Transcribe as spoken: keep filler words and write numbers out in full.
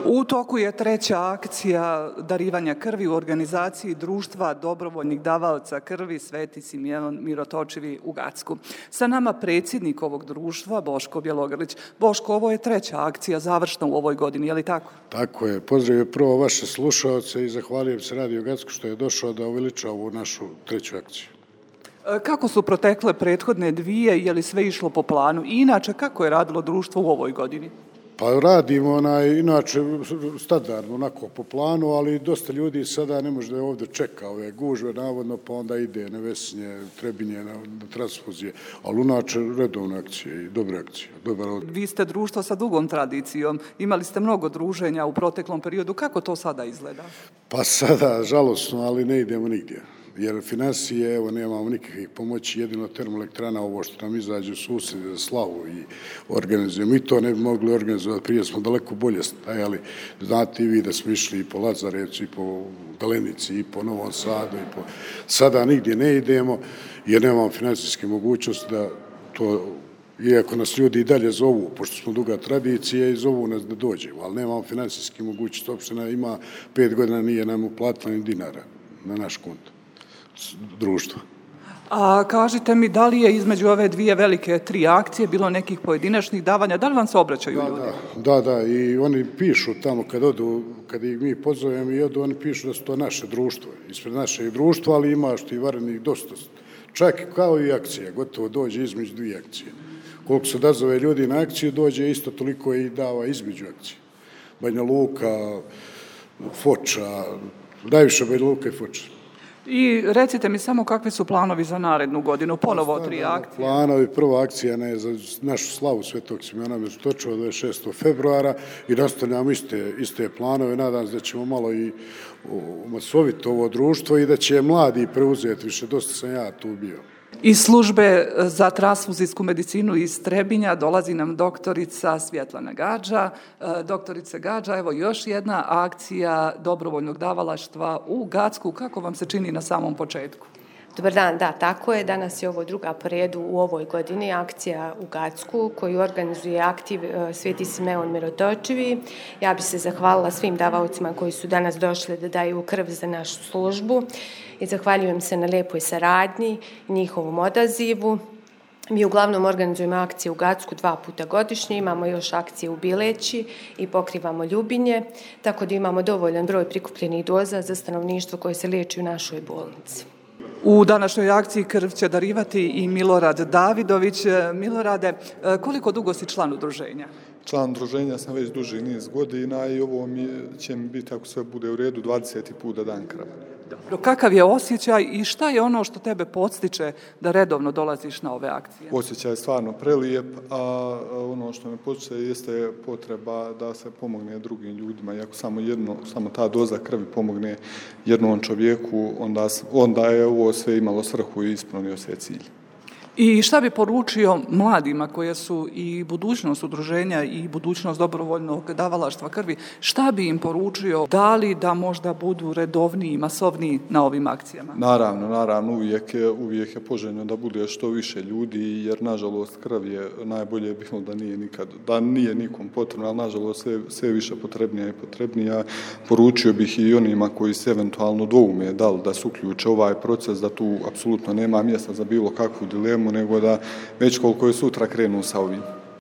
U toku je treća akcija darivanja krvi u organizaciji Društva dobrovoljnih davaoca krvi Sveti Simeon Mirotočivi u Gacku. Sa nama predsjednik ovog društva, Boško Bjelogrlić. Boško, ovo je treća akcija završna u ovoj godini, je li tako? Tako je. Pozdravio prvo vaše slušaoce i zahvaljujem se Radio Gacku što je došao da uveliča ovu našu treću akciju. Kako su protekle prethodne dvije, je li sve išlo po planu? I inače, kako je radilo društvo u ovoj godini? Pa radimo onaj, inače standardno, onako po planu, ali dosta ljudi sada ne može da je ovdje čeka ove gužve, navodno, pa onda ide na Vesinje, Trebinje, na, na transfuzije, ali inače redovne akcije i dobre akcije. Dobar od... Vi ste društvo sa dugom tradicijom, imali ste mnogo druženja u proteklom periodu, kako to sada izgleda? Pa sada, žalosno, ali ne idemo nigdje. Jer financije, evo, nemamo nikakvih pomoći, jedino termoelektrana, ovo što nam izađe u susjede za slavu i organizujemo. I to ne bi mogli organizovati, prije smo daleko bolje stajali. Znate i vi da smo išli i po Lazarevcu, i po Galenici, i po Novom Sadu, i po... Sada nigdje ne idemo, jer nemamo financijske mogućnosti da to... Iako nas ljudi i dalje zovu, pošto smo duga tradicija i zovu nas da dođemo, ali nemamo financijske mogućnosti. Opština ima pet godina, nije nam uplatila ni dinara na naš konto društva. A kažite mi, da li je između ove dvije velike tri akcije bilo nekih pojedinačnih davanja? Da li vam se obraćaju da, ljudi? Da, da, i oni pišu tamo kad odu, kad ih mi pozovemo i odu, oni pišu da su to naše društvo, ispred našeg društva, ali ima što i varenih dosta. Čak kao i akcija, gotovo dođe između dvije akcije. Koliko se odazove ljudi na akciju, dođe isto toliko i dava između akcije. Banja Luka, Foča, najviše Banja Luka i Foča. I recite mi samo kakvi su planovi za narednu godinu, ponovo tri akcije. Planovi, prva akcija ne, za našu slavu Svetog Simeona Mirotočiva dvadeset šestog februara i nastavljamo iste, iste planove. Nadam se da ćemo malo i umasoviti ovo društvo i da će mladi preuzeti više. Dosta sam ja tu bio. Iz službe za transfuzijsku medicinu iz Trebinja dolazi nam doktorica Svjetlana Gađa. Doktorice Gađa, evo još jedna akcija dobrovoljnog davalaštva u Gacku. Kako vam se čini na samom početku? Dobar dan, da, tako je. Danas je ovo druga po redu u ovoj godini akcija u Gacku koju organizuje aktiv Sveti Simeon Mirotočivi. Ja bih se zahvalila svim davaocima koji su danas došli da daju krv za našu službu i zahvaljujem se na lijepoj saradnji i njihovom odazivu. Mi uglavnom organizujemo akcije u Gacku dva puta godišnje, imamo još akcije u Bileći i pokrivamo Ljubinje, tako da imamo dovoljan broj prikupljenih doza za stanovništvo koje se liječi u našoj bolnici. U današnjoj akciji krv će darivati i Milorad Davidović. Milorade, koliko dugo si član udruženja? Član udruženja sam već duži niz godina i ovo mi će mi biti, ako sve bude u redu, dvadeseti put da dan krv. Dobro, kakav je osjećaj i šta je ono što tebe podstiče da redovno dolaziš na ove akcije? Osjećaj je stvarno prelijep, a ono što me podstiče jeste potreba da se pomogne drugim ljudima. I ako samo, jedno, samo ta doza krvi pomogne jednom čovjeku, onda, onda je ovo sve imalo svrhu i ispunio se cilj. I šta bi poručio mladima koje su i budućnost udruženja i budućnost dobrovoljnog davalaštva krvi, šta bi im poručio, da li da možda budu redovniji i masovniji na ovim akcijama? Naravno, naravno, uvijek je, uvijek je poželjno da bude što više ljudi, jer nažalost krv je najbolje bilo da nije nikad, da nije nikom potrebno, ali nažalost sve, sve više potrebnija i potrebnija. Poručio bih i onima koji se eventualno dvoume da li da se uključe ovaj proces, da tu apsolutno nema mjesta za bilo kakvu dilemu, nego da već koliko je sutra krenu sa ovim.